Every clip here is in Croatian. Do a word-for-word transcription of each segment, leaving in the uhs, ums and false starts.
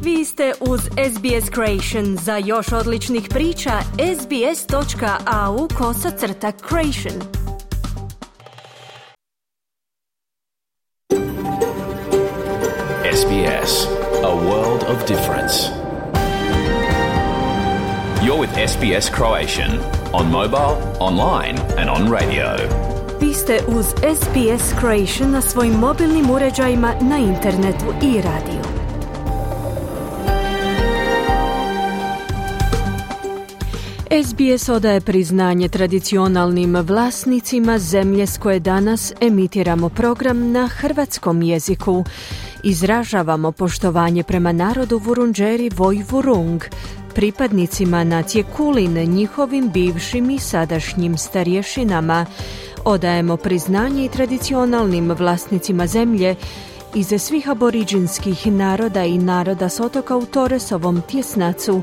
Vi ste uz S B S Creation. Za još odličnih priča, sbs.au kosacrta creation. S B S, a world of difference. You're with S B S Croatian on mobile, online and on radio. Vi ste uz S B S Creation na svojim mobilnim uređajima, na internetu i radiju. S B S odaje priznanje tradicionalnim vlasnicima zemlje s koje danas emitiramo program na hrvatskom jeziku. Izražavamo poštovanje prema narodu Vurundjeri Vojvurung, pripadnicima nacije Kulin, njihovim bivšim i sadašnjim starješinama. Odajemo priznanje i tradicionalnim vlasnicima zemlje iz svih aboriđinskih naroda i naroda s otoka u Torresovom tjesnacu,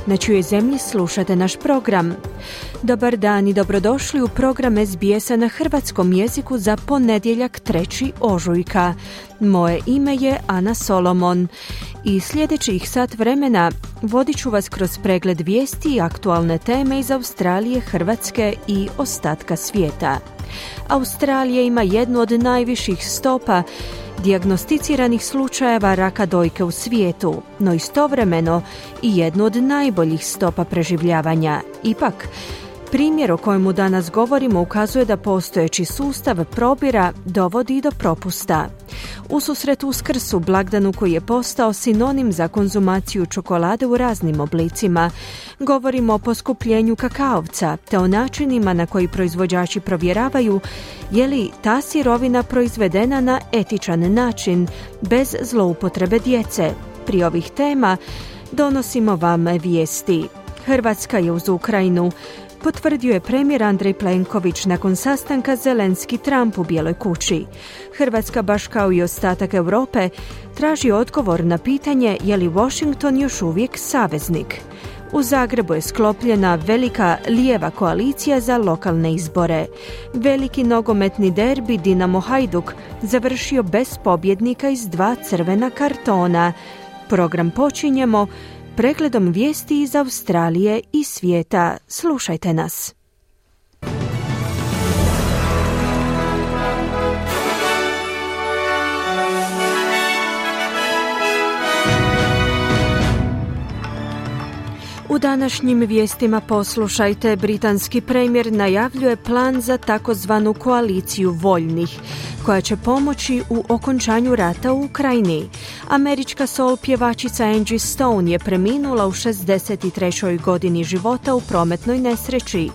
na čijoj zemlji slušate naš program. Dobar dan i dobrodošli u program S B S-a na hrvatskom jeziku za ponedjeljak trećeg ožujka. Moje ime je Ana Solomon i sljedećih sat vremena vodit ću vas kroz pregled vijesti i aktualne teme iz Australije, Hrvatske i ostatka svijeta. Australija ima jednu od najviših stopa dijagnosticiranih slučajeva raka dojke u svijetu, no istovremeno i jednu od najboljih stopa preživljavanja. Ipak, primjer o kojemu danas govorimo ukazuje da postojeći sustav probira dovodi do propusta. Ususret Uskrsu, blagdanu koji je postao sinonim za konzumaciju čokolade u raznim oblicima, govorimo o poskupljenju kakaovca te o načinima na koji proizvođači provjeravaju je li ta sirovina proizvedena na etičan način, bez zloupotrebe djece. Pri ovih tema donosimo vam vijesti. Hrvatska je uz Ukrajinu, potvrdio je premijer Andrej Plenković nakon sastanka Zelenski-Trump u Bijeloj kući. Hrvatska, baš kao i ostatak Europe, traži odgovor na pitanje je li Washington još uvijek saveznik. U Zagrebu je sklopljena velika lijeva koalicija za lokalne izbore. Veliki nogometni derbi Dinamo Hajduk završio bez pobjednika iz dva crvena kartona. Program počinjemo pregledom vijesti iz Australije i svijeta. Slušajte nas. U današnjim vijestima poslušajte, britanski premijer najavljuje plan za takozvanu koaliciju voljnih, koja će pomoći u okončanju rata u Ukrajini. Američka soul pjevačica Angie Stone je preminula u šezdeset trećoj godini života u prometnoj nesreći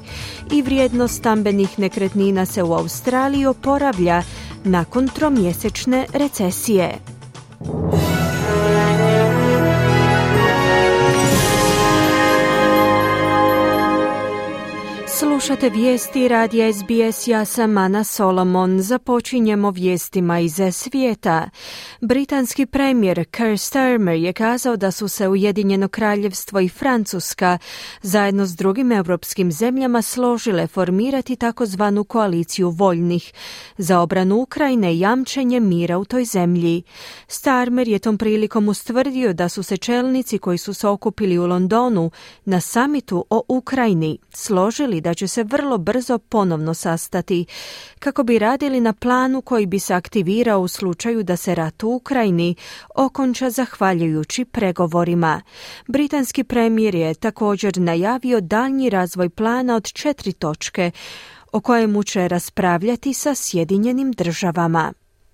i vrijednost stambenih nekretnina se u Australiji oporavlja nakon tromjesečne recesije. Slušate vijesti radija S B S, ja sam Ana Solomon. Započinjemo vijestima iz svijeta. Britanski premijer Keir Starmer je kazao da su se Ujedinjeno kraljevstvo i Francuska zajedno s drugim europskim zemljama složile formirati takozvanu koaliciju voljnih za obranu Ukrajine i jamčenje mira u toj zemlji. Starmer je tom prilikom ustvrdio da su se čelnici koji su se okupili u Londonu na samitu o Ukrajini složili da će se vrlo brzo ponovno sastati kako bi radili na planu koji bi se aktivirao u slučaju da se rat u Ukrajini okonča zahvaljujući pregovorima. Britanski premijer je također najavio daljnji razvoj plana od četiri točke o kojemu će raspravljati sa Sjedinjenim državama.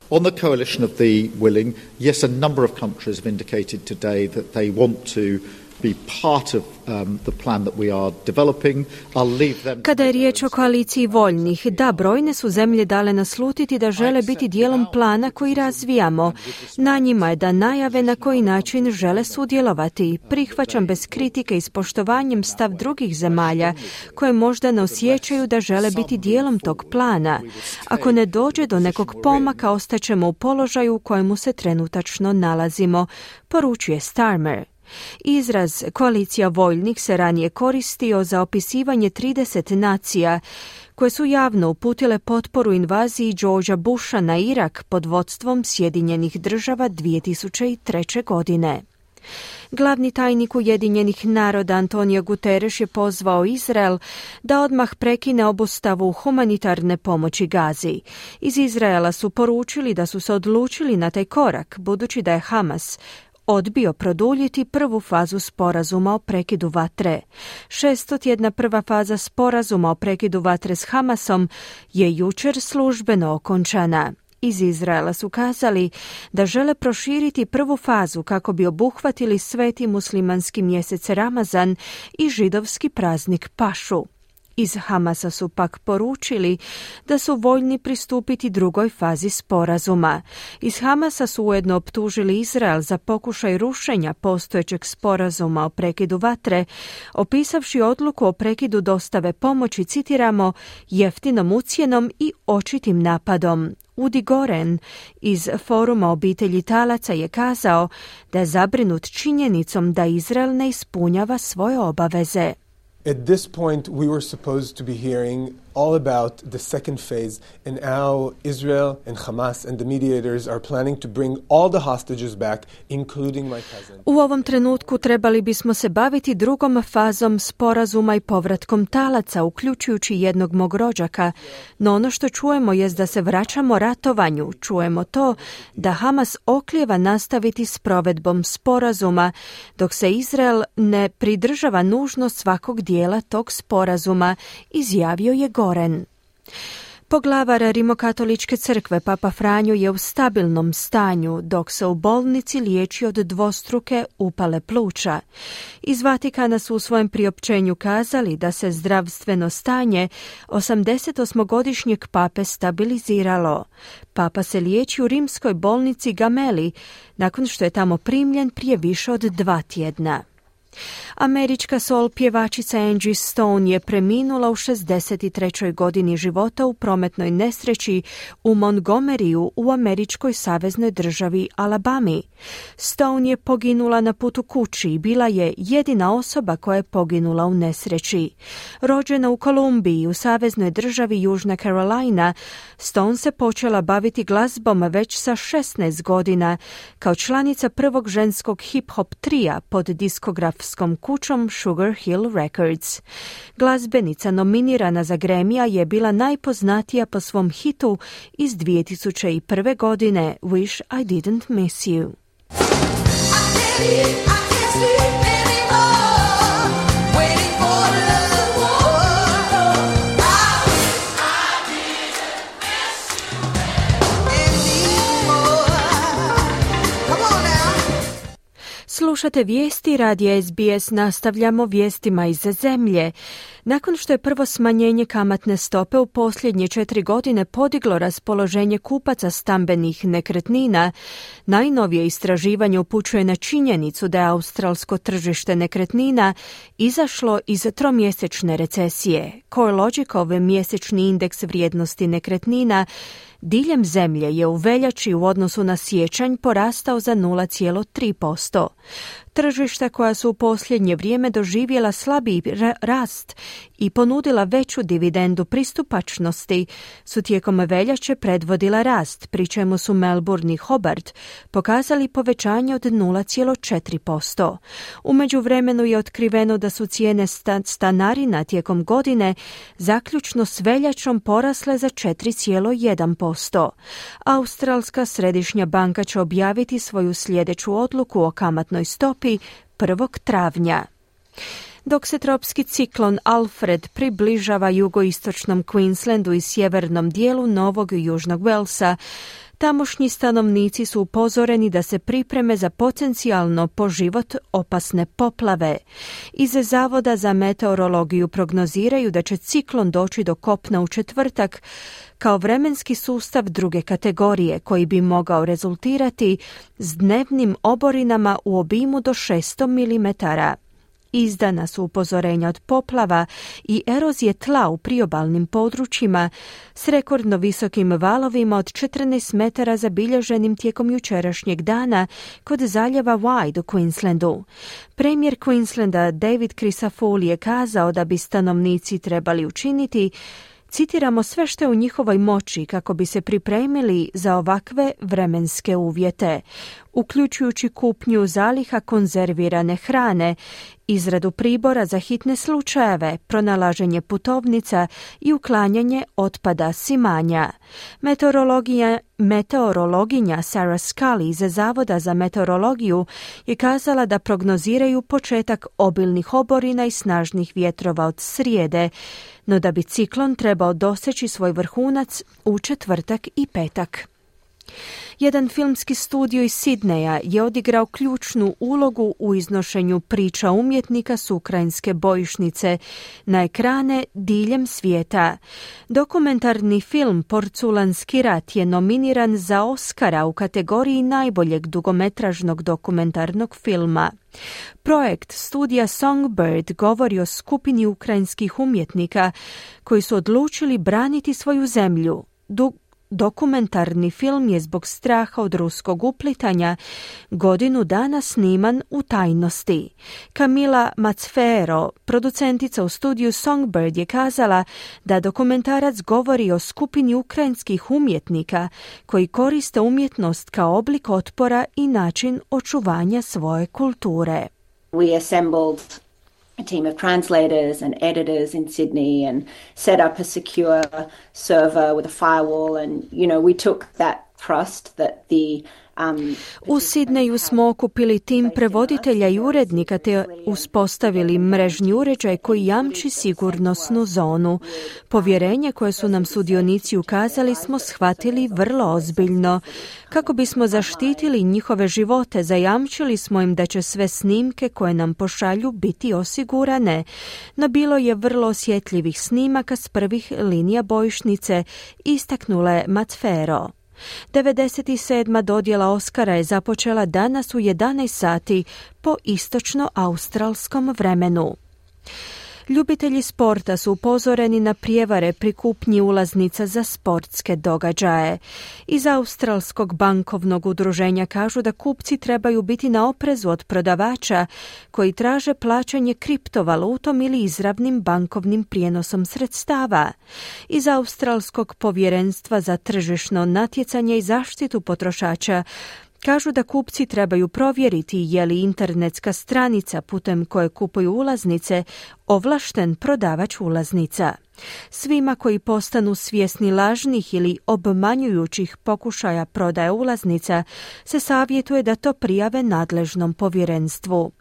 On the coalition of the willing, yes, a number of countries have indicated today that they want to be part of um, the plan that we are developing. I'll leave them. Kada je riječ o koaliciji voljnih, da, brojne su zemlje dale naslutiti da žele biti dijelom plana koji razvijamo. Na njima je da najave na koji način žele sudjelovati. Prihvaćam bez kritike i s poštovanjem stav drugih zemalja koje možda ne osjećaju da žele biti dijelom tog plana. Ako ne dođe do nekog pomaka, ostaćemo u položaju u kojemu se trenutačno nalazimo, poručuje Starmer. Izraz koalicija voljnih se ranije koristio za opisivanje trideset nacija koje su javno uputile potporu invaziji Georgea Busha na Irak pod vodstvom Sjedinjenih država dvije tisuće treće. godine. Glavni tajnik Ujedinjenih naroda Antonio Guterres je pozvao Izrael da odmah prekine obustavu humanitarne pomoći Gazi. Iz Izraela su poručili da su se odlučili na taj korak, budući da je Hamas odbio produljiti prvu fazu sporazuma o prekidu vatre. Šestotjedna prva faza sporazuma o prekidu vatre s Hamasom je jučer službeno okončana. Iz Izraela su kazali da žele proširiti prvu fazu kako bi obuhvatili sveti muslimanski mjesec Ramazan i židovski praznik Pašu. Iz Hamasa su pak poručili da su voljni pristupiti drugoj fazi sporazuma. Iz Hamasa su ujedno optužili Izrael za pokušaj rušenja postojećeg sporazuma o prekidu vatre, opisavši odluku o prekidu dostave pomoći, citiramo, jeftinom ucjenom i očitim napadom. Udi Goren iz Foruma obitelji talaca je kazao da je zabrinut činjenicom da Izrael ne ispunjava svoje obaveze. At this point, we were supposed to be hearing all about the second phase and how Israel and Hamas and the mediators are planning to bring all the hostages back, including my cousin. U ovom trenutku trebali bismo se baviti drugom fazom sporazuma i povratkom talaca, uključujući jednog mog rođaka. No ono što čujemo jest da se vraćamo ratovanju. Čujemo to da Hamas oklijeva nastaviti s provedbom sporazuma, dok se Izrael ne pridržava nužno svakog dijela tog sporazuma, izjavio je Goren. Poglavar Rimokatoličke crkve Papa Franjo je u stabilnom stanju, dok se u bolnici liječi od dvostruke upale pluća. Iz Vatikana su u svojem priopćenju kazali da se zdravstveno stanje osamdesetosmogodišnjeg pape stabiliziralo. Papa se liječi u rimskoj bolnici Gemelli, nakon što je tamo primljen prije više od dva tjedna. Američka soul pjevačica Angie Stone je preminula u šezdeset trećoj godini života u prometnoj nesreći u Montgomeryu u američkoj saveznoj državi Alabami. Stone je poginula na putu kući i bila je jedina osoba koja je poginula u nesreći. Rođena u Kolumbiji u saveznoj državi Južna Carolina, Stone se počela baviti glazbom već sa šesnaest godina kao članica prvog ženskog hip-hop trija pod diskografskom kućom Sugar Hill Records. Glazbenica nominirana za Grammya je bila najpoznatija po svom hitu iz dvije tisuće prve. godine Wish I Didn't Miss You. Slušate vijesti radija S B S, nastavljamo vijestima iz zemlje. Nakon što je prvo smanjenje kamatne stope u posljednje četiri godine podiglo raspoloženje kupaca stambenih nekretnina, najnovije istraživanje upućuje na činjenicu da je australsko tržište nekretnina izašlo iz tromjesečne recesije. CoreLogicov mjesečni indeks vrijednosti nekretnina diljem zemlje je u veljači u odnosu na siječanj porastao za nula zarez tri posto. Tržišta koja su u posljednje vrijeme doživjela slabiji rast i ponudila veću dividendu pristupačnosti su tijekom veljače predvodila rast, pri čemu su Melbourne i Hobart pokazali povećanje od nula zarez četiri posto. U međuvremenu je otkriveno da su cijene stanarina tijekom godine zaključno s veljačom porasle za četiri zarez jedan posto. Australska središnja banka će objaviti svoju sljedeću odluku o kamatnoj stopi prvog travnja. Dok se tropski ciklon Alfred približava jugoistočnom Queenslandu i sjevernom dijelu Novog i Južnog Walesa, tamošnji stanovnici su upozoreni da se pripreme za potencijalno po život opasne poplave. Iz Zavoda za meteorologiju prognoziraju da će ciklon doći do kopna u četvrtak kao vremenski sustav druge kategorije koji bi mogao rezultirati s dnevnim oborinama u obimu do šesto milimetara. Izdana su upozorenja od poplava i erozije tla u priobalnim područjima s rekordno visokim valovima od četrnaest metara zabilježenim tijekom jučerašnjeg dana kod zaljeva Wide u Queenslandu. Premijer Queenslanda David Crisafulli je kazao da bi stanovnici trebali učiniti, citiramo, sve što je u njihovoj moći kako bi se pripremili za ovakve vremenske uvjete. uključujući kupnju zaliha konzervirane hrane, izradu pribora za hitne slučajeve, pronalaženje putovnica i uklanjanje otpada s imanja. Meteorologija, meteorologinja Sarah Scully iz Zavoda za meteorologiju je kazala da prognoziraju početak obilnih oborina i snažnih vjetrova od srijede, no da bi ciklon trebao doseći svoj vrhunac u četvrtak i petak. Jedan filmski studio iz Sidneja je odigrao ključnu ulogu u iznošenju priča umjetnika s ukrajinske bojišnice na ekrane diljem svijeta. Dokumentarni film Porculanski rat je nominiran za Oscara u kategoriji najboljeg dugometražnog dokumentarnog filma. Projekt studija Songbird govori o skupini ukrajinskih umjetnika koji su odlučili braniti svoju zemlju. Du- Dokumentarni film je zbog straha od ruskog uplitanja godinu dana sniman u tajnosti. Kamila Macfero, producentica u studiju Songbird, je kazala da dokumentarac govori o skupini ukrajinskih umjetnika koji koriste umjetnost kao oblik otpora i način očuvanja svoje kulture. We assembled a team of translators and editors in Sydney and set up a secure server with a firewall, and you know we took that trust that the Um, U Sidneju smo okupili tim prevoditelja i urednika te uspostavili mrežni uređaj koji jamči sigurnosnu zonu. Povjerenje koje su nam sudionici ukazali smo shvatili vrlo ozbiljno. Kako bismo zaštitili njihove živote, zajamčili smo im da će sve snimke koje nam pošalju biti osigurane. No bilo je vrlo osjetljivih snimaka s prvih linija bojišnice, istaknula je Macfero. devedeset sedma dodjela Oscara je započela danas u jedanaest sati po istočno-australskom vremenu. Ljubitelji sporta su upozoreni na prijevare pri kupnji ulaznica za sportske događaje. Iz Australskog bankovnog udruženja kažu da kupci trebaju biti na oprezu od prodavača koji traže plaćanje kriptovalutom ili izravnim bankovnim prijenosom sredstava. Iz Australskog povjerenstva za tržišno natjecanje i zaštitu potrošača kažu da kupci trebaju provjeriti je li internetska stranica putem koje kupuju ulaznice ovlašten prodavač ulaznica. Svima koji postanu svjesni lažnih ili obmanjujućih pokušaja prodaje ulaznica se savjetuje da to prijave nadležnom povjerenstvu.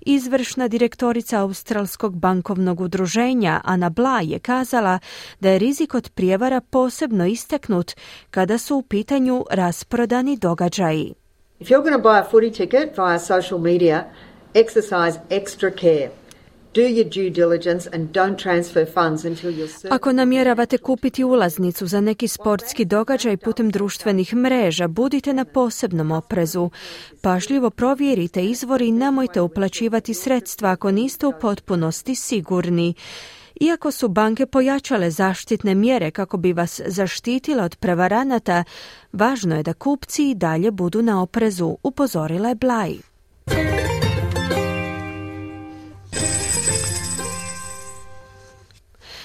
Izvršna direktorica Australskog bankovnog udruženja Ana Bla je kazala da je rizik od prijevara posebno istaknut kada su u pitanju rasprodani događaji. If you're going to buy a footy ticket via social media, exercise extra care. Do your due diligence and don't transfer funds until you're certain. Ako namjeravate kupiti ulaznicu za neki sportski događaj putem društvenih mreža, budite na posebnom oprezu. Pažljivo provjerite izvor i nemojte uplaćivati sredstva ako niste u potpunosti sigurni. Iako su banke pojačale zaštitne mjere kako bi vas zaštitile od prevaranata, važno je da kupci i dalje budu na oprezu, upozorila je Blaj.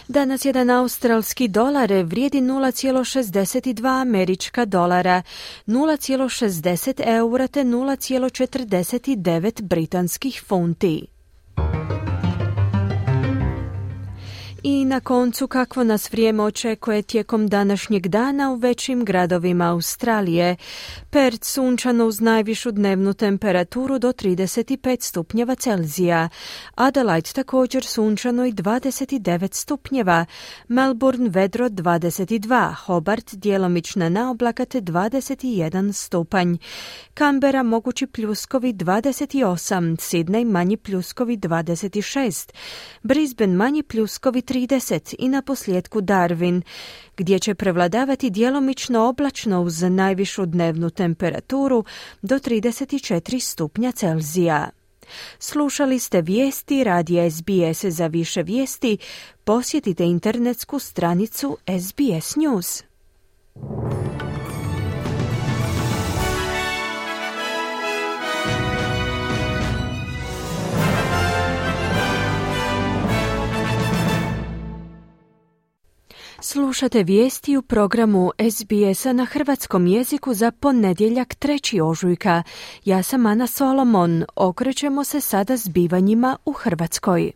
Danas jedan australski dolar vrijedi nula zarez šezdeset dva američka dolara, nula zarez šezdeset eura te nula zarez četrdeset devet britanskih funti. I na koncu, kakvo nas vrijeme očekuje tijekom današnjeg dana u većim gradovima Australije. Perth sunčano uz najvišu dnevnu temperaturu do trideset pet stupnjeva Celzija. Adelaide također sunčano i dvadeset devet stupnjeva. Melbourne vedro dvadeset dva. Hobart djelomična naoblaka te dvadeset jedan stupanj. Canberra mogući pljuskovi dvadeset osam. Sydney manji pljuskovi dvadeset šest. Brisbane manji pljuskovi trideset i na posljedku Darwin, gdje će prevladavati djelomično oblačno uz najvišu dnevnu temperaturu do trideset četiri stupnja Celzija. Slušali ste vijesti radija S B S. Za više vijesti posjetite internetsku stranicu S B S News. Slušate vijesti u programu S B S-a na hrvatskom jeziku za ponedjeljak trećeg ožujka. Ja sam Ana Solomon. Okrećemo se sada zbivanjima u Hrvatskoj.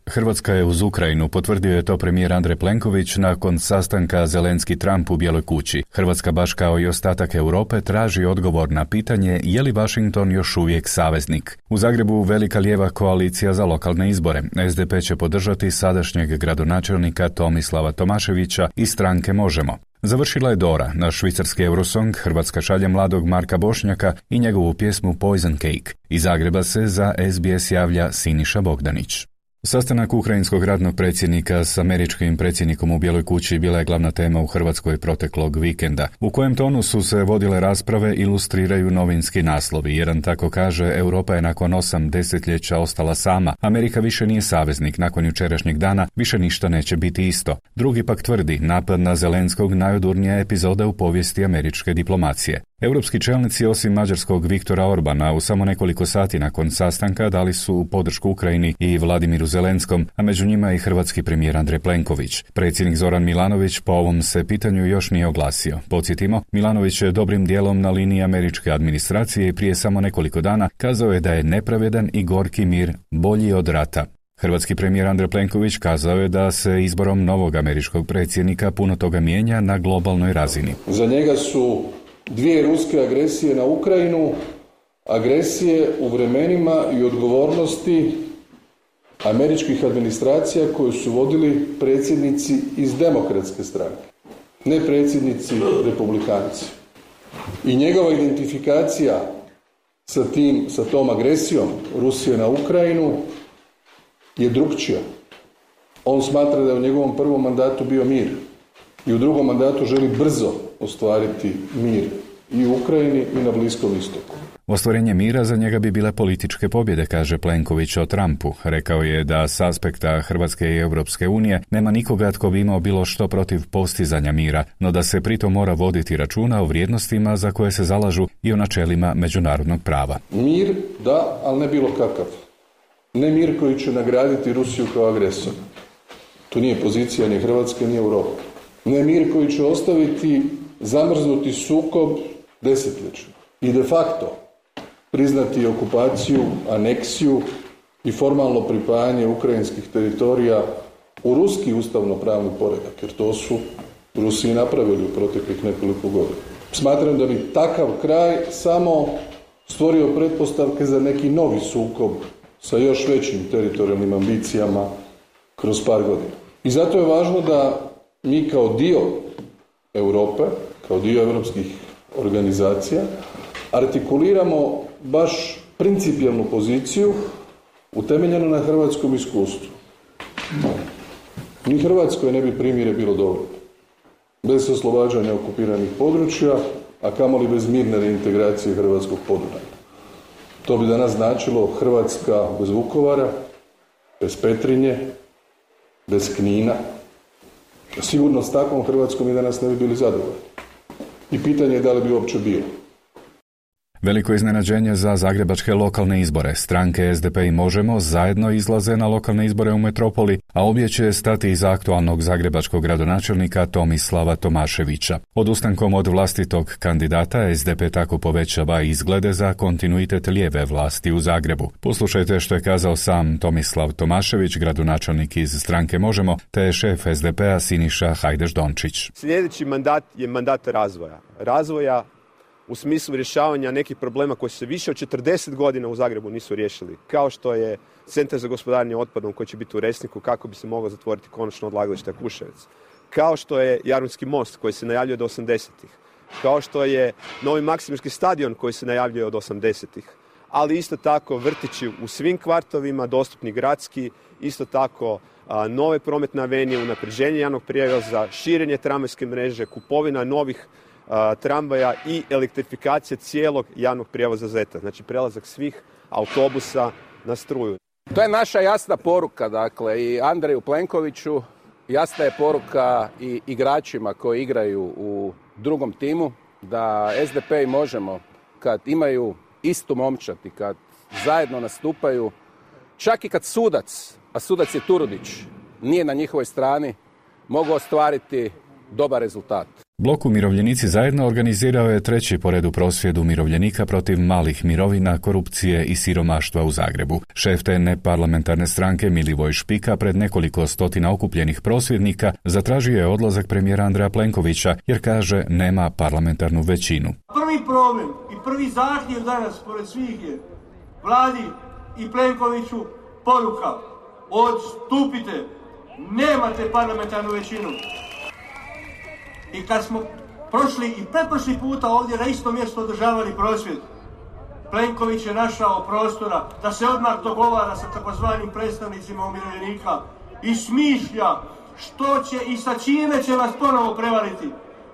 Hrvatska je uz Ukrajinu, potvrdio je to premijer Andrej Plenković nakon sastanka Zelenski-Trump u Bijeloj kući. Hrvatska, baš kao i ostatak Europe, traži odgovor na pitanje je li Washington još uvijek saveznik. U Zagrebu velika lijeva koalicija za lokalne izbore. S D P će podržati sadašnjeg gradonačelnika Tomislava Tomaševića i stranke Možemo. Završila je Dora, na švicarski Eurosong Hrvatska šalje mladog Marka Bošnjaka i njegovu pjesmu Poison Cake. Iz Zagreba se za S B S javlja Siniša Bogdanić. Sastanak ukrajinskog ratnog predsjednika s američkim predsjednikom u Bijeloj kući bila je glavna tema u Hrvatskoj proteklog vikenda. U kojem tonu su se vodile rasprave ilustriraju novinski naslovi. Jedan tako kaže: Europa je nakon osam desetljeća ostala sama. Amerika više nije saveznik. Nakon jučerašnjeg dana više ništa neće biti isto. Drugi pak tvrdi: napad na Zelenskog najodurnija epizoda u povijesti američke diplomacije. Europski čelnici, osim mađarskog Viktora Orbana, u samo nekoliko sati nakon sastanka dali su podršku Ukrajini i Vladimiru Zelenskom, a među njima i hrvatski premijer Andrej Plenković. Predsjednik Zoran Milanović po ovom se pitanju još nije oglasio. Podsjetimo, Milanović je dobrim dijelom na liniji američke administracije i prije samo nekoliko dana kazao je da je nepravedan i gorki mir bolji od rata. Hrvatski premijer Andrej Plenković kazao je da se izborom novog američkog predsjednika puno toga mijenja na globalnoj razini. Za njega su dvije ruske agresije na Ukrajinu, agresije u vremenima i odgovornosti američkih administracija koju su vodili predsjednici iz demokratske stranke, ne predsjednici republikanci. I njegova identifikacija sa tim, sa tom agresijom Rusije na Ukrajinu je drukčija. On smatra da je u njegovom prvom mandatu bio mir i u drugom mandatu želi brzo ostvariti mir i u Ukrajini i na Bliskom istoku. Ostvarenje mira za njega bi bile političke pobjede, kaže Plenković o Trumpu. Rekao je da s aspekta Hrvatske i Europske unije nema nikoga tko bi imao bilo što protiv postizanja mira, no da se pritom mora voditi računa o vrijednostima za koje se zalažu i o načelima međunarodnog prava. Mir, da, ali ne bilo kakav. Ne mir koji će nagraditi Rusiju kao agresor. To nije pozicija ni Hrvatske ni Europe. Ne mir koji će ostaviti zamrznuti sukob desetljećima i de facto priznati okupaciju, aneksiju i formalno pripajanje ukrajinskih teritorija u ruski ustavno-pravni poredak, jer to su Rusi napravili u proteklih nekoliko godina. Smatram da bi takav kraj samo stvorio pretpostavke za neki novi sukob sa još većim teritorijalnim ambicijama kroz par godina. I zato je važno da mi kao dio Europe, kao dio europskih organizacija, artikuliramo baš principijelnu poziciju utemeljenu na hrvatskom iskustvu. Ni Hrvatskoj ne bi primjere bilo dovoljno. Bez oslobađanja okupiranih područja, a kamoli bez mirne reintegracije hrvatskog Podunavlja. To bi danas značilo Hrvatska bez Vukovara, bez Petrinje, bez Knina. Sigurno s takvom Hrvatskom i danas ne bi bili zadovoljni. I pitanje je da li bi uopće bilo. Veliko iznenađenje za zagrebačke lokalne izbore. Stranke S D P i Možemo zajedno izlaze na lokalne izbore u metropoli, a obje će stati iza aktualnog zagrebačkog gradonačelnika Tomislava Tomaševića. Odustankom od vlastitog kandidata S D P tako povećava izglede za kontinuitet lijeve vlasti u Zagrebu. Poslušajte što je kazao sam Tomislav Tomašević, gradonačelnik iz stranke Možemo, te šef S D P-a Siniša Hajdaš-Dončić. Sljedeći mandat je mandat razvoja. Razvoja u smislu rješavanja nekih problema koji se više od četrdeset godina u Zagrebu nisu riješili, kao što je Centar za gospodarenje otpadom koji će biti u Resniku kako bi se moglo zatvoriti konačno odlagalište Kuševec, kao što je Jarunski most koji se najavljuje od osamdesetih, kao što je novi Maksimirski stadion koji se najavljuje od osamdesetih, ali isto tako vrtići u svim kvartovima, dostupni gradski, isto tako a, nove prometne avenije, unapređenje javnog prijevoza, širenje tramvajske mreže, kupovina novih tramvaja i elektrifikacija cijelog javnog prijevoza Zeta. Znači prelazak svih autobusa na struju. To je naša jasna poruka, dakle, i Andreju Plenkoviću, jasna je poruka i igračima koji igraju u drugom timu, da S D P i Možemo, kad imaju istu momčad i kad zajedno nastupaju, čak i kad sudac, a sudac je Turudić, nije na njihovoj strani, mogu ostvariti dobar rezultat. Blok Umirovljenici zajedno organizirao je treći po redu prosvjed umirovljenika protiv malih mirovina, korupcije i siromaštva u Zagrebu. Šef te neparlamentarne stranke Milivoj Špika pred nekoliko stotina okupljenih prosvjednika zatražio je odlazak premijera Andreja Plenkovića jer kaže nema parlamentarnu većinu. Prvi problem i prvi zahtjev danas pored svih je Vladi i Plenkoviću poruka: odstupite, nemate parlamentarnu većinu. I kad smo prošli i pretprošli puta ovdje na isto mjesto održavali prosvjed, Plenković je našao prostora da se odmah dogovara sa takozvanim predstavnicima umirovljenika i smišlja što će i sa čime će vas ponovo prevariti.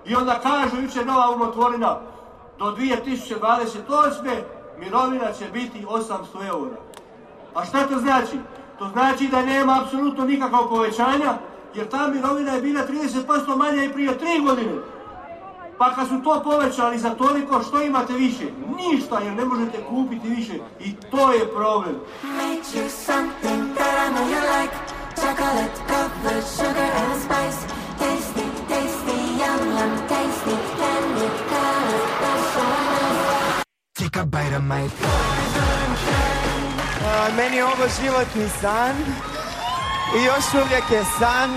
I onda kaže jučer nova umotvorina, do dvije tisuće dvadeset osme mirovina će biti osamsto eura. A šta to znači? To znači da nema apsolutno nikakvog povećanja, jer ta mirovina je bila trideset posto manja i prije tri godine. Pa kad su to povećali za toliko, što imate više? Ništa, jer ne možete kupiti više. I to je problem. Uh, meni je ovo životni san i još uvijek je san.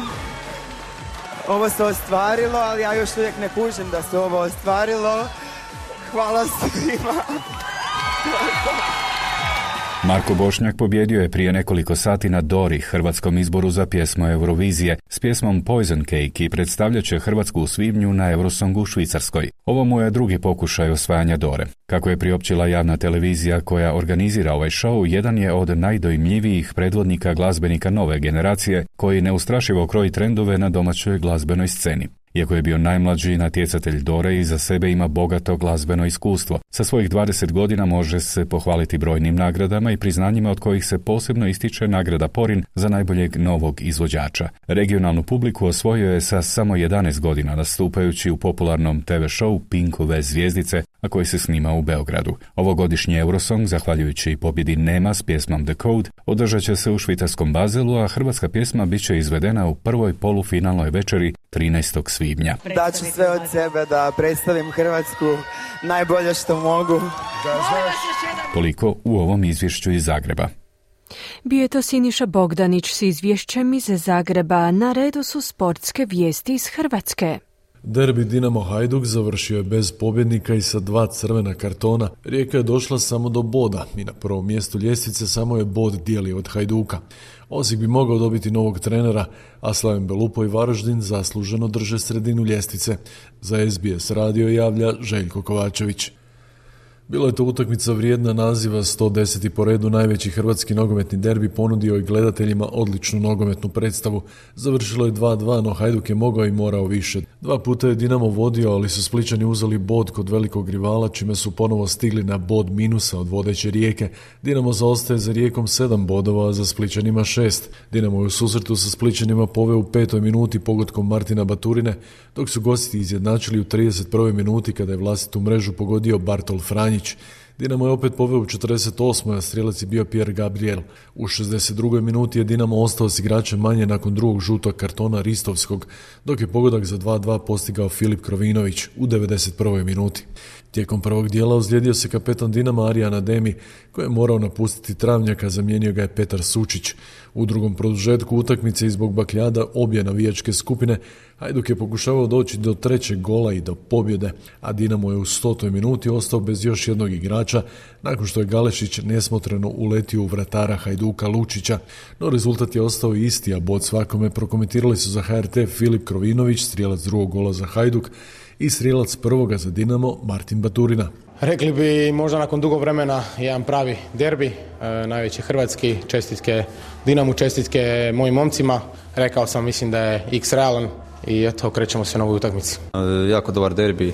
Ovo se ostvarilo, ali ja još uvijek ne kužim da se ovo ostvarilo. Hvala svima. Marko Bošnjak pobjedio je prije nekoliko sati na Dori, hrvatskom izboru za pjesmu Eurovizije, s pjesmom Poison Cake i predstavljat će Hrvatsku u svibnju na Eurosongu u Švicarskoj. Ovo mu je drugi pokušaj osvajanja Dore. Kako je priopćila javna televizija koja organizira ovaj show, jedan je od najdojmljivijih predvodnika glazbenika nove generacije, koji neustrašivo kroji trendove na domaćoj glazbenoj sceni. Iako je bio najmlađi natjecatelj Dore, iza sebe ima bogato glazbeno iskustvo. Sa svojih dvadeset godina može se pohvaliti brojnim nagradama i priznanjima, od kojih se posebno ističe nagrada Porin za najboljeg novog izvođača. Regionalnu publiku osvojio je sa samo jedanaest godina, nastupajući u popularnom te ve show Pinkove zvijezdice, a koji se snima u Beogradu. Ovogodišnji Eurosong, zahvaljujući pobjedi Nema s pjesmom The Code, održat će se u švicarskom Bazelu, a hrvatska pjesma bit će izvedena u prvoj polufinalnoj večeri trinaestog svibnja. Daću sve od sebe da predstavim Hrvatsku najbolje što mogu. Toliko u ovom izvješću iz Zagreba. Bio je to Siniša Bogdanić s izvješćem iz Zagreba. Na redu su sportske vijesti iz Hrvatske. Derbi Dinamo Hajduk završio je bez pobjednika i sa dva crvena kartona. Rijeka je došla samo do boda i na prvom mjestu ljestvice samo je bod dijeli od Hajduka. Osijek bi mogao dobiti novog trenera, a Slaven Belupo i Varaždin zasluženo drže sredinu ljestvice. Za es be es radio javlja Željko Kovačević. Bila je to utakmica vrijedna naziva, sto deseti po redu najveći hrvatski nogometni derbi ponudio je gledateljima odličnu nogometnu predstavu. Završilo je dva dva, no Hajduk je mogao i morao više. Dva puta je Dinamo vodio, ali su Splićani uzeli bod kod velikog rivala, čime su ponovo stigli na bod minusa od vodeće Rijeke. Dinamo zaostaje za Rijekom sedam bodova, a za Splićanima šest. Dinamo je u susretu sa Splićanima poveo u petoj minuti pogodkom Martina Baturine, dok su gosti izjednačili u trideset prvoj minuti kada je vlastitu mrežu pogodio Bartol Franjić. Dinamo je opet poveo u četrdeset osmoj, a strijelac je bio Pierre Gabriel. U šezdeset drugoj minuti je Dinamo ostao s igračem manje nakon drugog žutog kartona Ristovskog, dok je pogodak za dva dva postigao Filip Krovinović u devedeset prvoj minuti. Tijekom prvog dijela ozlijedio se kapetan Dinama Arijan Ademi, koji je morao napustiti travnjaka, zamijenio ga je Petar Sučić. U drugom produžetku utakmice i zbog bakljada obje navijačke skupine, Hajduk je pokušavao doći do trećeg gola i do pobjede, a Dinamo je u stotoj minuti ostao bez još jednog igrača, nakon što je Galešić nesmotreno uletio u vratara Hajduka Lučića, no rezultat je ostao isti, a bod svakome prokomentirali su za ha er te Filip Krovinović, strijelac drugog gola za Hajduk, i strijelac prvoga za Dinamo Martin Baturina. Rekli bi možda nakon dugo vremena jedan pravi derbi, e, najveći hrvatski, čestitke Dinamu, čestitke mojim momcima. Rekao sam, mislim da je X realan i eto, krećemo se na ovu utakmicu. E, jako dobar derbi, e,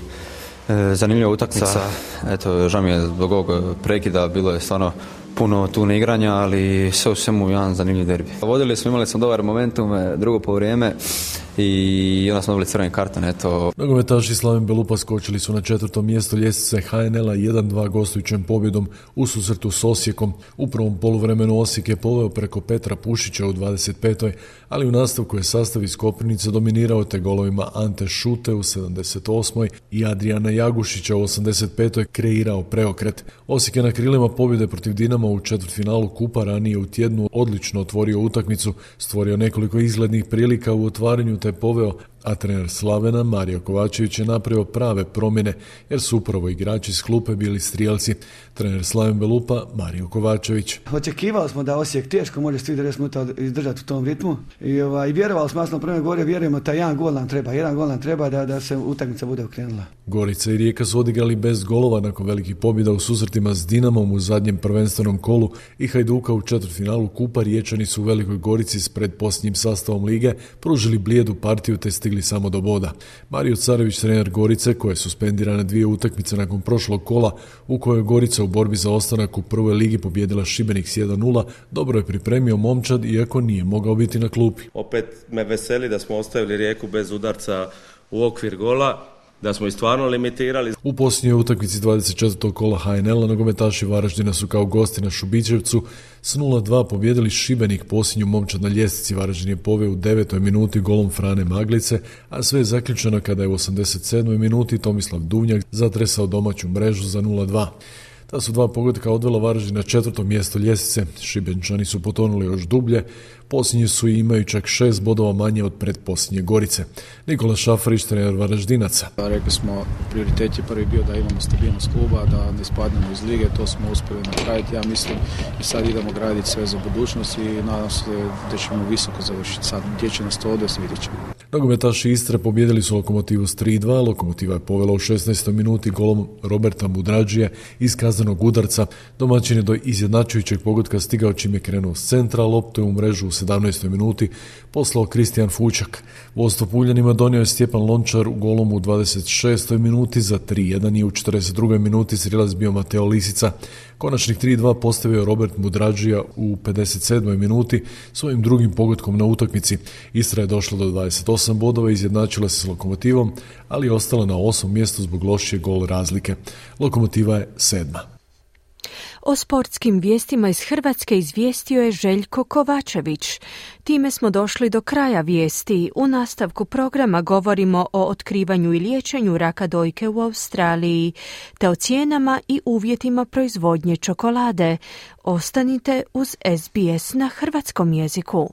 zanimljiva utakmica. Eto, žao mi je zbog ovog prekida, bilo je stvarno puno tu igranja, ali sve u svemu jedan zanimljiv derbi. Vodili smo, imali smo dobar momentum, drugo poluvrijeme i onda smo dobili crveni karton, eto. Nogometaši Slaven Belupa skočili su na četvrtom mjestu ljestvice H N L-a jedan dva gostujućem pobjedom u susretu s Osijekom. U prvom poluvremenu Osijek je poveo preko Petra Pušića u dvadeset petoj ali u nastavku je sastav iz Koprivnice dominirao te golovima Ante Šute u sedamdeset osmoj i Adriana Jagušića u osamdeset petoj kreirao preokret. Osijek je na krilima pobjede protiv Dinama u četvrtfinalu kupa ranije u tjednu odlično otvorio utakmicu, stvorio nekoliko izglednih prilika u otvaranju te poveo, a trener Slavena Mario Kovačević je napravio prave promjene jer su upravo igrači iz klupe bili strijelci. Trener Slaven Belupa Mario Kovačević. Očekivali smo da Osijek teško može trideset minuta izdržati u tom ritmu i, ovaj, i vjerovali smo, jasno prema gore, vjerujemo da jedan gol nam treba, jedan gol nam treba da, da se utakmica bude okrenula. Gorica i Rijeka su odigrali bez golova nakon velikih pobjeda u susretima s Dinamom u zadnjem prvenstvenom kolu i Hajduka u četvrtfinalu kupa. Riječani su u Velikoj Gorici s predposljednjim sastavom lige pružili blijedu partiju te stigli samo do boda. Mario Carević, trener Gorice, koja je suspendirana dvije utakmice nakon prošlog kola u kojoj Gorica u borbi za ostanak u prvoj ligi pobijedila Šibenik s jedan nula, dobro je pripremio momčad iako nije mogao biti na klupi. Opet me veseli da smo ostavili Rijeku bez udarca u okvir gola, da smo ih stvarno limitirali. U posljednjoj utakmici dvadeset četvrtog kola H N L-a nogometaši Varaždina su kao gosti na Šubićevcu s nula dva pobijedili Šibenik. Posljednju momčad na ljestvici Varaždin je poveo u devetoj minuti golom Frane Maglice, a sve je zaključeno kada je u osamdeset sedmoj minuti Tomislav Duvnjak zatresao domaću mrežu za nula dva. Ta su dva pogotka odvela Varaždin na četvrto mjesto ljestvice. Šibenčani su potonuli još dublje, posljednji su i imaju čak šest bodova manje od pretposljednje Gorice. Nikola Šafarić, trener Varaždinaca. Rekli smo, prioritet je prvi bio da imamo stabilnost kluba, da ne spadnemo iz lige, to smo uspjeli napraviti, ja mislim, i sad idemo graditi sve za budućnost i nadam se da ćemo visoko završiti. Sad gdje će nas to odvesti, vidjet ćemo. Nogometaši Istre pobijedili su Lokomotivu s tri dva, Lokomotiva je povela u šesnaestoj minuti golom Roberta Mudrađije iz kaznenog udarca. Domaćin je do izjednačujućeg pogotka stigao čim je krenuo s centra, loptu je u mrežu u sedamnaestoj minuti poslao Kristijan Fučak. Vodstvo Puljanima donio je Stjepan Lončar u golom u dvadeset šestoj minuti za tri jedan i u četrdeset drugoj minuti srilaz bio Mateo Lisica. Konačnih tri dva postavio Robert Mudrađija u pedeset sedmoj minuti svojim drugim pogotkom na utakmici. Istra je došla do dvadeset osam bodova i izjednačila se s Lokomotivom, ali je ostala na osmom mjestu zbog lošije gol razlike. Lokomotiva je sedma. O sportskim vijestima iz Hrvatske izvijestio je Željko Kovačević. Time smo došli do kraja vijesti. U nastavku programa govorimo o otkrivanju i liječenju raka dojke u Australiji, te o cijenama i uvjetima proizvodnje čokolade. Ostanite uz S B S na hrvatskom jeziku.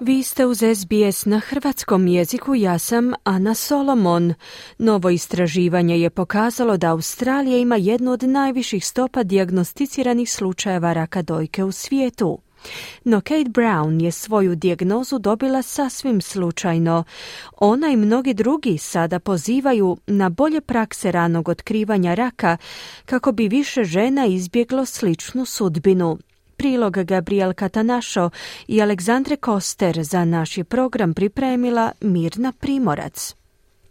Vi ste uz S B S na hrvatskom jeziku, ja sam Ana Solomon. Novo istraživanje je pokazalo da Australija ima jednu od najviših stopa dijagnosticiranih slučajeva raka dojke u svijetu. No Kate Brown je svoju dijagnozu dobila sasvim slučajno. Ona i mnogi drugi sada pozivaju na bolje prakse ranog otkrivanja raka kako bi više žena izbjeglo sličnu sudbinu. Prilog Gabriel Catanašo i Aleksandre Koster za naš je program pripremila Mirna Primorac.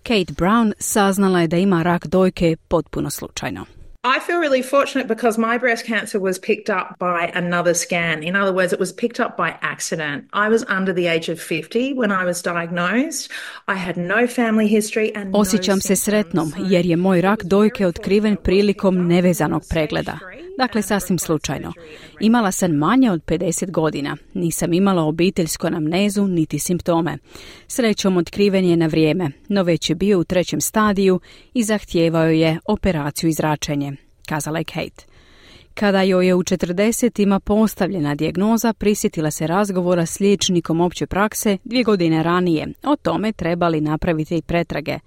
Kate Brown saznala je da ima rak dojke potpuno slučajno. I feel really fortunate because my breast cancer was picked up by another scan. In other words, it was picked up by accident. I was under the age of fifty when I was diagnosed. I had no family history and no Osjećam se sretnom jer je moj rak dojke otkriven prilikom nevezanog pregleda. Dakle, sasvim slučajno. Imala sam manje od pedeset godina. Nisam imala obiteljsku anamnezu niti simptome. Srećom otkriven je na vrijeme, no već je bio u trećem stadiju i zahtijevao je operaciju i zračenje, kazala je Kate. Kada joj je u četrdesetima postavljena dijagnoza, prisjetila se razgovora s liječnikom opće prakse dvije godine ranije. O tome trebali napraviti i pretrage.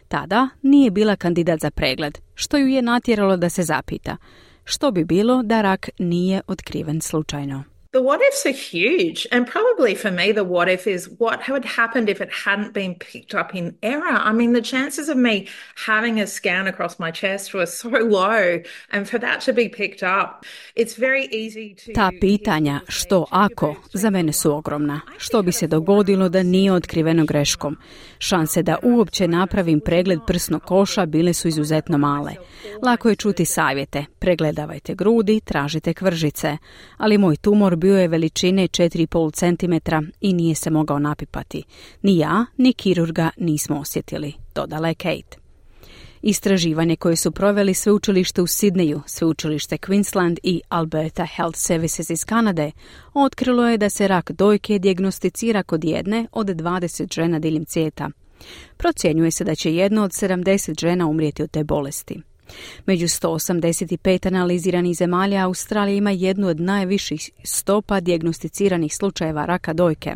Tada nije bila kandidat za pregled, što ju je natjeralo da se zapita. Što bi bilo da rak nije otkriven slučajno? The what ifs are huge, and probably for me the what if is what had happened if it hadn't been picked up in error. I mean, the chances of me having a scan across my chest were so low, and for that to be picked up, it's very easy to... Ta pitanja što ako za mene su ogromna. Što bi se dogodilo da nije otkriveno greškom? Šanse da uopće napravim pregled prsnog koša bile su izuzetno male. Lako je čuti savjete, pregledavajte grudi, tražite kvržice, ali moj tumor bio je veličine četiri i pol centimetra i nije se mogao napipati. Ni ja, ni kirurga nismo osjetili, dodala je Kate. Istraživanje koje su proveli sveučilište u Sidneju, sveučilište Queensland i Alberta Health Services iz Kanade, otkrilo je da se rak dojke dijagnosticira kod jedne od dvadeset žena diljem svijeta. Procjenjuje se da će jedna od sedamdeset žena umrijeti od te bolesti. Među sto osamdeset pet analiziranih zemalja Australija ima jednu od najviših stopa dijagnosticiranih slučajeva raka dojke.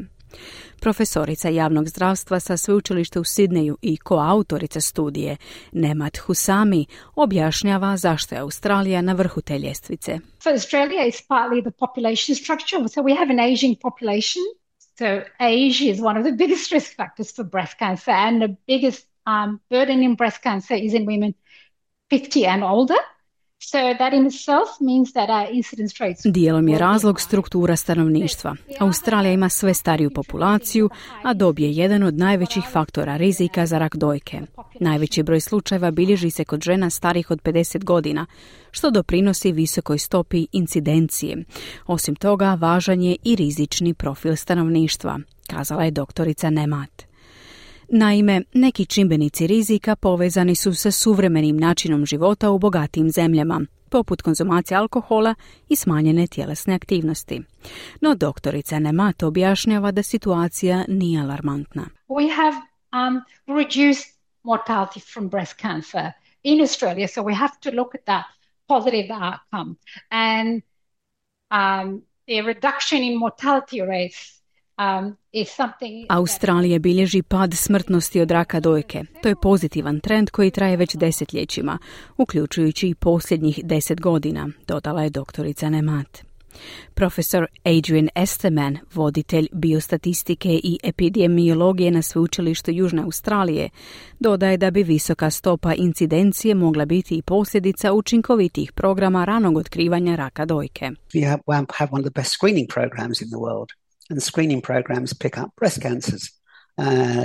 Profesorica javnog zdravstva sa sveučilišta u Sidneju i koautorica studije Nemat Husami objašnjava zašto je Australija na vrhu te ljestvice. So Australia is partly the population structure. So we have an aging population. So age is one of the biggest risk factors for breast cancer, and the biggest um, burden in breast cancer is in women fifty and older. So that in itself means that our incidence rates... Dijelom je razlog struktura stanovništva. Australija ima sve stariju populaciju, a dob je jedan od najvećih faktora rizika za rak dojke. Najveći broj slučajeva bilježi se kod žena starih od pedeset godina, što doprinosi visokoj stopi incidencije. Osim toga, važan je i rizični profil stanovništva, kazala je doktorica Nemat. Naime, neki čimbenici rizika povezani su sa suvremenim načinom života u bogatijim zemljama, poput konzumacije alkohola i smanjene tjelesne aktivnosti. No doktorica Nemat objašnjava da situacija nije alarmantna. We have um, reduced mortality from breast cancer in Australia, so we have to look at that positive outcome. And um, the reduction in mortality rates Um, Australija bilježi pad smrtnosti od raka dojke. To je pozitivan trend koji traje već desetljećima, uključujući i posljednjih deset godina, dodala je doktorica Nemat. Profesor Adrian Esterman, voditelj biostatistike i epidemiologije na sveučilištu Južne Australije, dodaje da bi visoka stopa incidencije mogla biti i posljedica učinkovitih programa ranog otkrivanja raka dojke. We have, have one of the best screening programs in the world. And screening programs pick up breast cancers. Uh,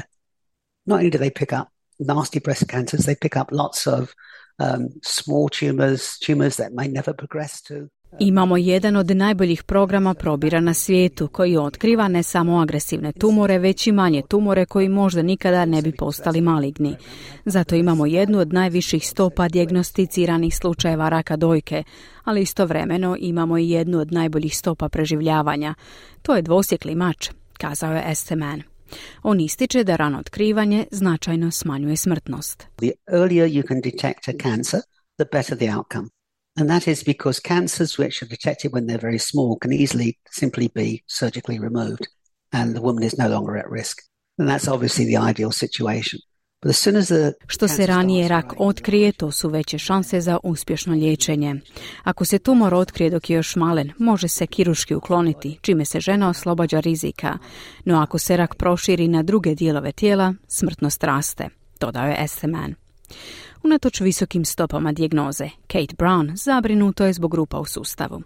not only do they pick up nasty breast cancers, they pick up lots of um, small tumors, tumors that may never progress to. Imamo jedan od najboljih programa probira na svijetu koji otkriva ne samo agresivne tumore, već i manje tumore koji možda nikada ne bi postali maligni. Zato imamo jednu od najviših stopa dijagnosticiranih slučajeva raka dojke, ali istovremeno imamo i jednu od najboljih stopa preživljavanja. To je dvosjekli mač, kazao je Esteman. On ističe da rano otkrivanje značajno smanjuje smrtnost. The earlier you can detect a cancer, the better the outcome. And that is because cancers which are detected when they're very small can easily simply be surgically removed and the woman is no longer at risk. And that's obviously the ideal situation. But as soon as the Što se ranije rak otkrije, to su veće šanse za uspješno liječenje. Ako se tumor otkrije dok je još malen, može se kirurški ukloniti, čime se žena oslobađa rizika. No ako se rak proširi na druge dijelove tijela, smrtnost raste, dodao je Esteman. Unatoč visokim stopama dijagnoze, Kate Brown zabrinuto je zbog rupa u sustavu.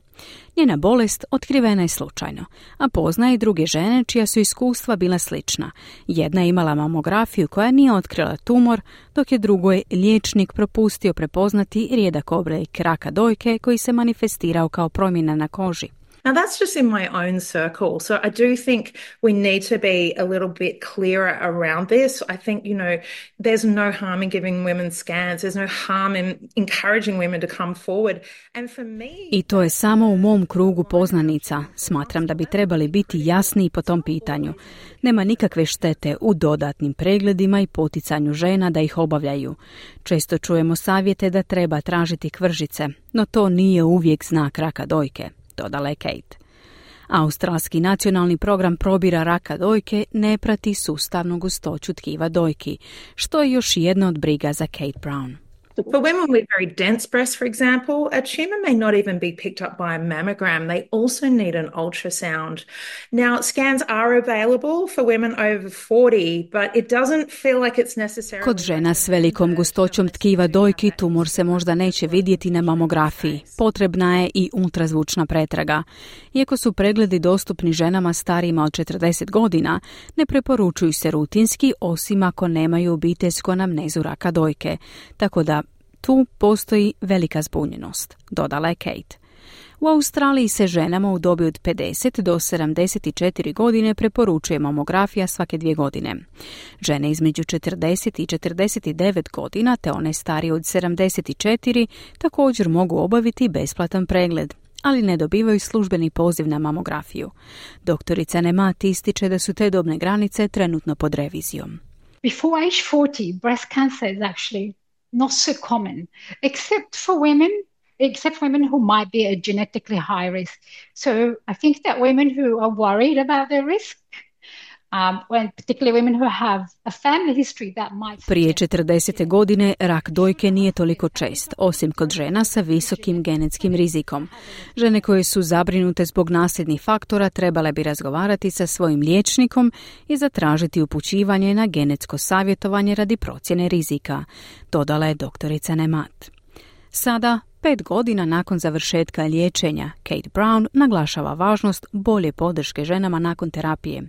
Njena bolest otkrivena je slučajno, a poznaje i druge žene čija su iskustva bila slična. Jedna je imala mamografiju koja nije otkrila tumor, dok je drugoj liječnik propustio prepoznati rijedak oblik raka dojke koji se manifestirao kao promjena na koži. Now that's just in my own circle. So I do think we need to be a little bit clearer around this. I think, you know, there's no harm in giving women scans. There's no harm in encouraging women to come forward. And for me... I to je samo u mom krugu poznanica. Smatram da bi trebali biti jasniji po tom pitanju. Nema nikakve štete u dodatnim pregledima i poticanju žena da ih obavljaju. Često čujemo savjete da treba tražiti kvržice, no to nije uvijek znak raka dojke, dodala je Kate. Australski nacionalni program probira raka dojke ne prati sustavnu gustoću tkiva dojki, što je još jedna od briga za Kate Brown. For women with very dense breasts, for example, a tumour may not even be picked up by a mammogram. They also need an ultrasound. Now, scans are available for women over forty, but it doesn't feel like it's necessary. Kod žena s velikom gustoćom tkiva dojki tumor se možda neće vidjeti na mamografiji. Potrebna je i ultrazvučna pretraga. Iako su pregledi dostupni ženama starijima od četrdeset godina, ne preporučuju se rutinski osim ako nemaju obiteljsku anamnezu raka dojke. Tako da tu postoji velika zbunjenost, dodala je Kate. U Australiji se ženama u dobi od pedeset do sedamdeset četiri godine preporučuje mamografija svake dvije godine. Žene između četrdeset i četrdeset devet godina te one starije od sedamdeset četiri također mogu obaviti besplatan pregled, ali ne dobivaju službeni poziv na mamografiju. Doktorica Nemat ističe da su te dobne granice trenutno pod revizijom. Before age forty, breast cancer is actually not so common, except for women, except women who might be at genetically high risk. So I think that women who are worried about their risk, um, when particularly women who have a family history that might... Prije četrdesete godine rak dojke nije toliko čest, osim kod žena sa visokim genetskim rizikom. Žene koje su zabrinute zbog nasljednih faktora trebale bi razgovarati sa svojim liječnikom i zatražiti upućivanje na genetsko savjetovanje radi procjene rizika, dodala je doktorica Nemat. Sada, pet godina nakon završetka liječenja, Kate Brown naglašava važnost bolje podrške ženama nakon terapije.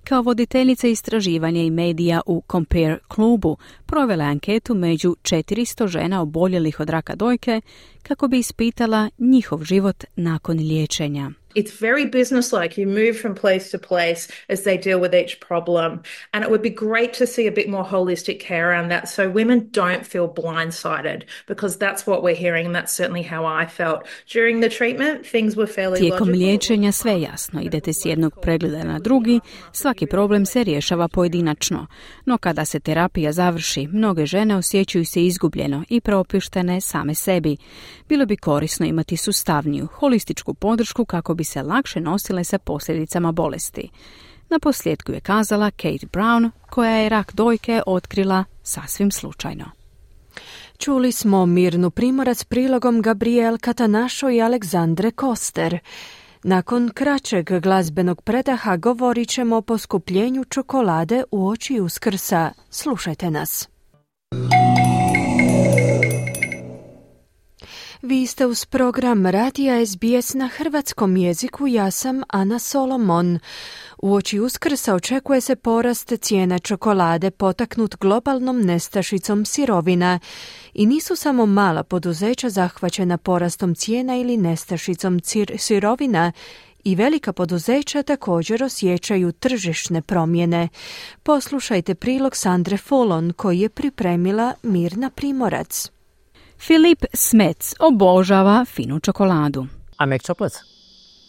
Kao voditeljica istraživanja i medija u Compare klubu provela je anketu među četiristo žena oboljelih od raka dojke kako bi ispitala njihov život nakon liječenja. It's very businesslike. You move from place to place as they deal with each problem. And it would be great to see a bit more holistic care around that so women don't feel blindsided, because that's what we're hearing, and that's certainly how I felt. During the treatment, things were fairly Tijekom logical. liječenja sve jasno. Idete s jednog pregleda na drugi, svaki problem se rješava pojedinačno. No kada se terapija završi, mnoge žene osjećaju se izgubljeno i preopuštene same sebi. Bilo bi korisno imati sustavniju, holističku podršku kako bi se lakše nosile sa posljedicama bolesti. Na posljedku je kazala Kate Brown, koja je rak dojke otkrila sasvim slučajno. Čuli smo Mirnu Primorac prilogom Gabriel Catanašo i Aleksandre Koster. Nakon kraćeg glazbenog predaha govorit ćemo o poskupljenju čokolade uoči Uskrsa. Slušajte nas. Vi ste uz program Radija S B S na hrvatskom jeziku, ja sam Ana Solomon. Uoči Uskrsa očekuje se porast cijena čokolade potaknut globalnom nestašicom sirovina i nisu samo mala poduzeća zahvaćena porastom cijena ili nestašicom cir- sirovina, i velika poduzeća također osjećaju tržišne promjene. Poslušajte prilog Sandre Fulon koji je pripremila Mirna Primorac. Filip Smets obožava finu čokoladu. I make chocolates.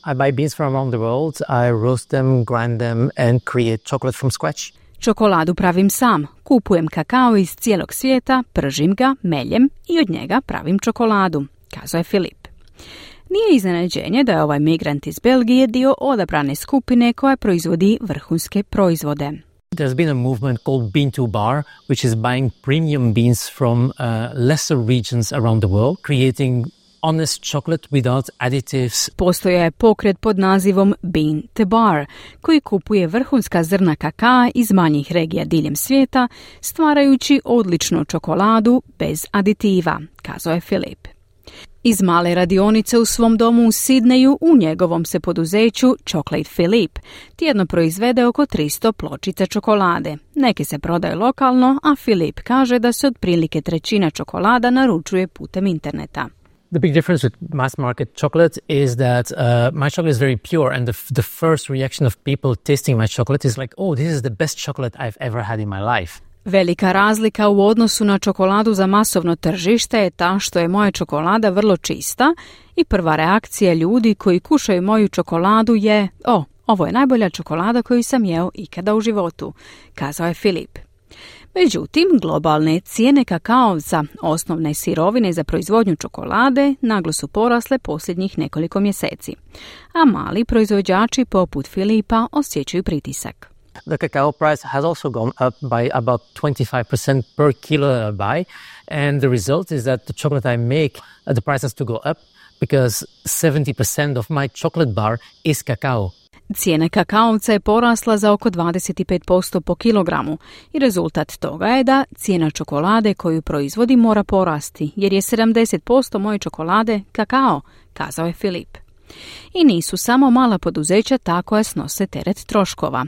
I buy beans from around the world, I roast them, grind them and create chocolate from scratch. Čokoladu pravim sam. Kupujem kakao iz cijelog svijeta, pržim ga, meljem i od njega pravim čokoladu, kazao je Filip. Nije iznenađenje da je ovaj migrant iz Belgije dio odabrane skupine koja proizvodi vrhunske proizvode. There's been a movement called Bean to Bar, which is buying premium beans from uh, lesser regions around the world, creating honest chocolate without additives. Postoja je pokret pod nazivom Bean to Bar, koji kupuje vrhunska zrna kakaa iz manjih regija diljem svijeta, stvarajući odličnu čokoladu bez aditiva, kazao je Filip. Iz male radionice u svom domu u Sidneju u njegovom se poduzeću Chocolate Philip tjedno proizvede oko tristo pločica čokolade. Neke se prodaju lokalno, a Filip kaže da se otprilike trećina čokolada naručuje putem interneta. The big difference with mass market chocolate is that uh, my chocolate is very pure, and the, the first reaction of people tasting my chocolate is like, oh, this is the best chocolate I've ever had in my life. Velika razlika u odnosu na čokoladu za masovno tržište je ta što je moja čokolada vrlo čista i prva reakcija ljudi koji kušaju moju čokoladu je, o, ovo je najbolja čokolada koju sam jeo ikada u životu, kazao je Filip. Međutim, globalne cijene kakao za osnovne sirovine za proizvodnju čokolade naglo su porasle posljednjih nekoliko mjeseci, a mali proizvođači poput Filipa osjećaju pritisak. The cacao price has also gone up by about twenty-five percent per kilo that I buy. And the result is that the chocolate I make, uh, the price has to go up because seventy percent of my chocolate bar is cacao. Cijena kakaovca je porasla za oko dvadeset pet posto po kilogramu i rezultat toga je da cijena čokolade koju proizvodi mora porasti, jer je sedamdeset posto moje čokolade kakao, kazao je Filip. I nisu samo mala poduzeća ta koja snose teret troškova.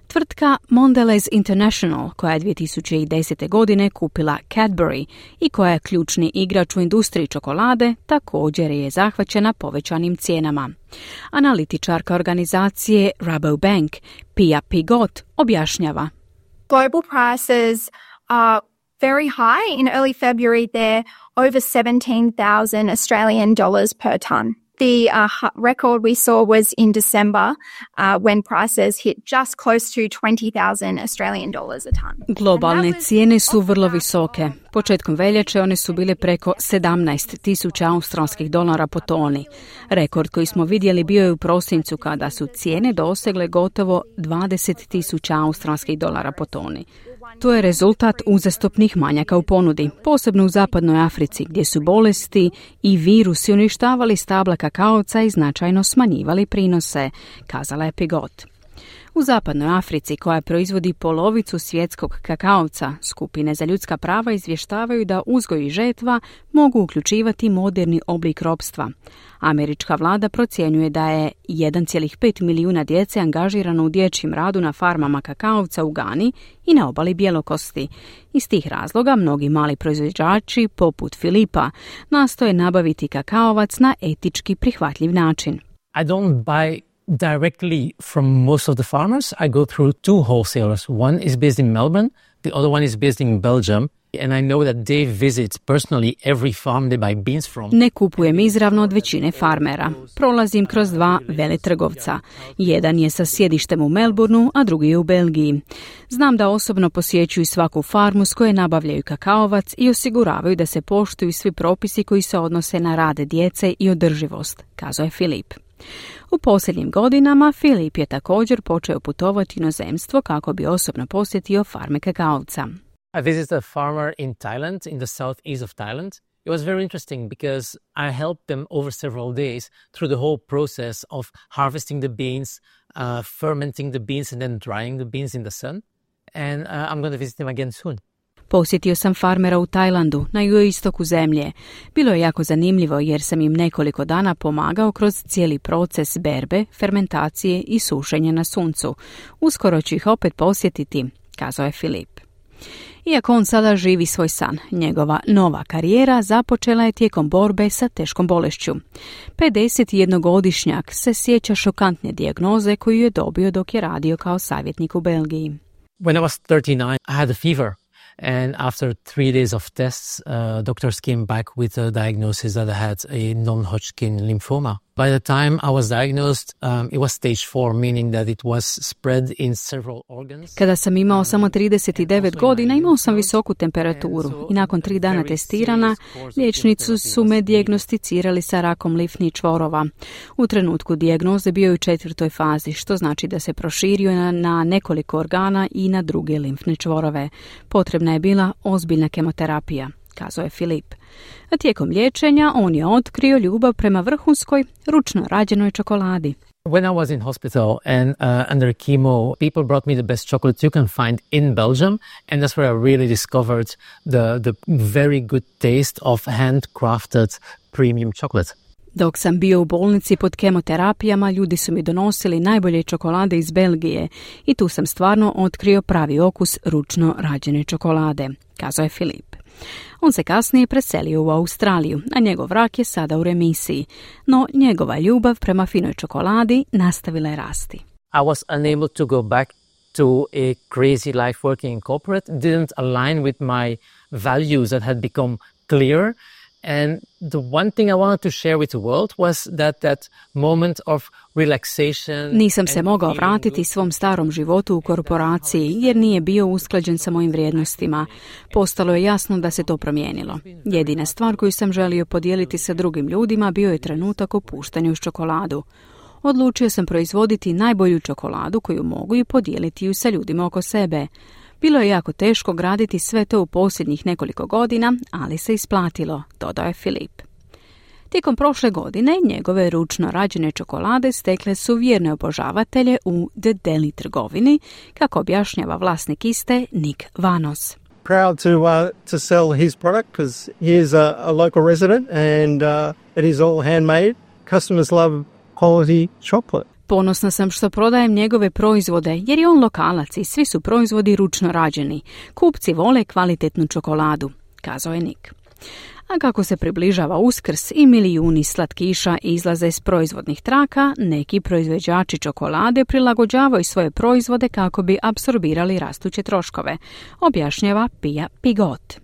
Tvrtka Mondelez International, koja je dvije tisuće desete. godine kupila Cadbury i koja je ključni igrač u industriji čokolade, također je zahvaćena povećanim cijenama. Analitičarka organizacije Rabobank, Pia Pigot, objašnjava. Global prices are very high. In early February, they're over seventeen thousand Australian dollars per tonne. The uh, record we saw was in December uh, when prices hit just close to twenty thousand Australian dollars a ton. Globalne cijene su vrlo visoke. Početkom veljače one su bile preko sedamnaest tisuća australskih dolara po toni. Rekord koji smo vidjeli bio je u prosincu kada su cijene dosegle gotovo dvadeset tisuća australskih dolara po toni. To je rezultat uzastopnih manjaka u ponudi, posebno u zapadnoj Africi, gdje su bolesti i virusi uništavali stabla kakaovca i značajno smanjivali prinose, kazala je Pigot. U zapadnoj Africi, koja proizvodi polovicu svjetskog kakaovca, skupine za ljudska prava izvještavaju da uzgoj i žetva mogu uključivati moderni oblik ropstva. Američka vlada procjenjuje da je jedan zarez pet milijuna djece angažirano u dječjem radu na farmama kakaovca u Gani i na obali Bjelokosti. Iz tih razloga mnogi mali proizvođači, poput Filipa, nastoje nabaviti kakaovac na etički prihvatljiv način. I don't buy directly from most of the farmers. I go through two wholesalers. One is based in Melbourne, the other one is based in Belgium. And I know that they visit personally every farm they buy beans from. Ne kupujem izravno od većine farmera. Prolazim kroz dva veletrgovca. Jedan je sa sjedištem u Melbourneu, a drugi je u Belgiji. Znam da osobno posjećuju svaku farmu s koje nabavljaju kakaovac i osiguravaju da se poštuju svi propisi koji se odnose na rad djece i održivost, kazao je Filip. U posljednjim godinama Filip je također počeo putovati u inozemstvo kako bi osobno posjetio farme kakaovca. I visited a farmer in Thailand, in the southeast of Thailand. It was very interesting because I helped them over several days through the whole process of harvesting the beans, uh, fermenting the beans and then drying the beans in the sun. And uh, I'm going to visit them again soon. Posjetio sam farmera u Tajlandu, na jugoistoku zemlje. Bilo je jako zanimljivo jer sam im nekoliko dana pomagao kroz cijeli proces berbe, fermentacije i sušenja na suncu. Uskoro ću ih opet posjetiti, kazao je Filip. Iako on sada živi svoj san, njegova nova karijera započela je tijekom borbe sa teškom bolešću. pedesetjednogodišnjak se sjeća šokantne dijagnoze koju je dobio dok je radio kao savjetnik u Belgiji. When I was thirty-nine, I had a fever. And after three days of tests, uh, doctors came back with a diagnosis that I had a non-Hodgkin lymphoma. By the time I was diagnosed, um, it was stage four, meaning that it was spread in several organs. Kada sam imao samo trideset devet godina, imao sam visoku temperaturu i nakon tri dana testirana, liječnici su me dijagnosticirali sa rakom limfnih čvorova. U trenutku dijagnoze bio je u četvrtoj fazi, što znači da se proširio na, na nekoliko organa i na druge limfne čvorove. Potrebna je bila ozbiljna kemoterapija, kazao je Filip. A tijekom liječenja on je otkrio ljubav prema vrhunskoj, ručno rađenoj čokoladi. When I was in hospital and uh, under chemo, people brought me the best chocolates you can find in Belgium, and that's where I really discovered the, the very good taste of handcrafted premium chocolate. Dok sam bio u bolnici pod kemoterapijama, ljudi su mi donosili najbolje čokolade iz Belgije i tu sam stvarno otkrio pravi okus ručno rađene čokolade, kazao je Filip. On se kasnije preselio u Australiju, a njegov rak je sada u remisiji, no njegova ljubav prema finoj čokoladi nastavila je rasti. I was unable to go back to a crazy life working in corporate. It didn't align with my values that had become clear. And the one thing I wanted to share with the world was that that moment of relaxation. Nisam se mogao vratiti svom starom životu u korporaciji jer nije bio usklađen sa mojim vrijednostima. Postalo je jasno da se to promijenilo. Jedina stvar koju sam želio podijeliti sa drugim ljudima bio je trenutak opuštanja uz čokoladu. Odlučio sam proizvoditi najbolju čokoladu koju mogu i podijeliti ju sa ljudima oko sebe. Bilo je jako teško graditi sve to u posljednjih nekoliko godina, ali se isplatilo, dodao je Filip. Tijekom prošle godine njegove ručno rađene čokolade stekle su vjerne obožavatelje u The Deli trgovini, kako objašnjava vlasnik iste Nick Vanos. Proud to uh, to sell his product because he is a, a local resident and uh, it is all handmade. Customers love quality chocolate. Ponosna sam što prodajem njegove proizvode jer je on lokalac i svi su proizvodi ručno rađeni. Kupci vole kvalitetnu čokoladu, kazao je Nick. A kako se približava Uskrs i milijuni slatkiša izlaze iz proizvodnih traka, neki proizvođači čokolade prilagođavaju svoje proizvode kako bi apsorbirali rastuće troškove, objašnjava Pia Pigot.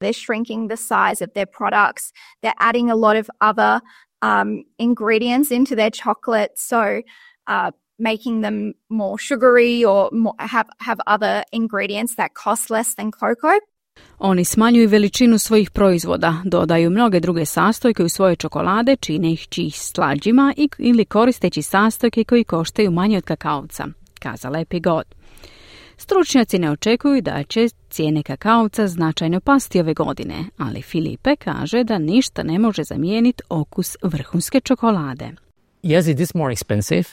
They're shrinking the size of their products. They're adding a lot of other um, ingredients into their chocolate, so uh, making them more sugary or more, have, have other ingredients that cost less than cocoa. Oni smanjuju veličinu svojih proizvoda, dodaju mnoge druge sastojke u svoje čokolade, čineći ih slađima i, ili koristeći sastojke koji koštaju manje od kakaovca, kazala je Pigot. Stručnjaci ne očekuju da će cijene kakaovca značajno pasti ove godine, ali Filipe kaže da ništa ne može zamijeniti okus vrhunske čokolade. Yes, it is more expensive,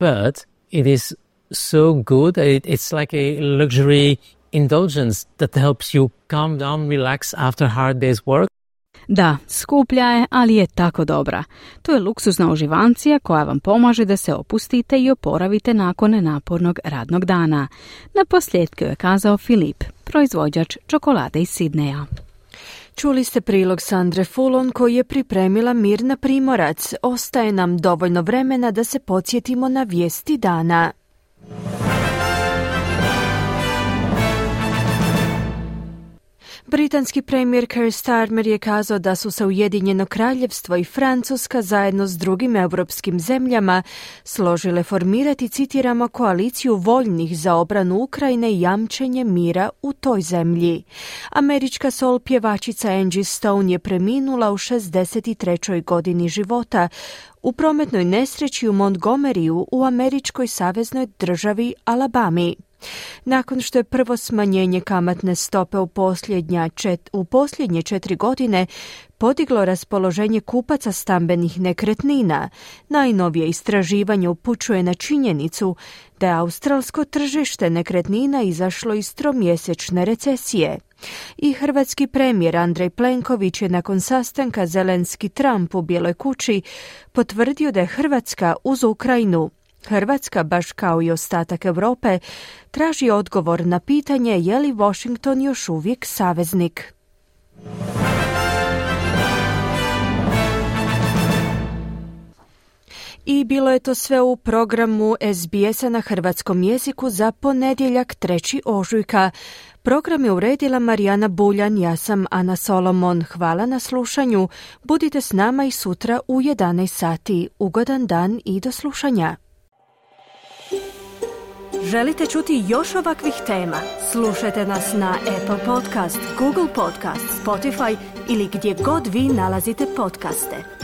but it is so good. It, it's like a luxury indulgence that helps you calm down, relax after hard day's work. Da, skuplja je, ali je tako dobra. To je luksuzna uživancija koja vam pomaže da se opustite i oporavite nakon napornog radnog dana. Na posljedku je kazao Filip, proizvođač čokolade iz Sidneja. Čuli ste prilog Sandre Fulon koji je pripremila Mirna Primorac. Ostaje nam dovoljno vremena da se podsjetimo na vijesti dana. Britanski premijer Keir Starmer je kazao da su se Ujedinjeno kraljevstvo i Francuska zajedno s drugim europskim zemljama složile formirati, citiramo, koaliciju voljnih za obranu Ukrajine i jamčenje mira u toj zemlji. Američka soul pjevačica Angie Stone je preminula u šezdeset trećoj godini života u prometnoj nesreći u Montgomeryu u američkoj saveznoj državi Alabami. Nakon što je prvo smanjenje kamatne stope u, čet, u posljednje četiri godine podiglo raspoloženje kupaca stambenih nekretnina, najnovije istraživanje upućuje na činjenicu da je australsko tržište nekretnina izašlo iz tromjesečne recesije. I hrvatski premijer Andrej Plenković je nakon sastanka Zelenski-Trump u Bijeloj kući potvrdio da je Hrvatska uz Ukrajinu. Hrvatska, baš kao i ostatak Europe, traži odgovor na pitanje je li Washington još uvijek saveznik. I bilo je to sve u programu S B S-a na hrvatskom jeziku za ponedjeljak trećeg ožujka. Program je uredila Marijana Buljan, ja sam Ana Solomon. Hvala na slušanju. Budite s nama i sutra u jedanaest sati. Ugodan dan i do slušanja. Želite čuti još ovakvih tema? Slušajte nas na Apple Podcast, Google Podcast, Spotify ili gdje god vi nalazite podcaste.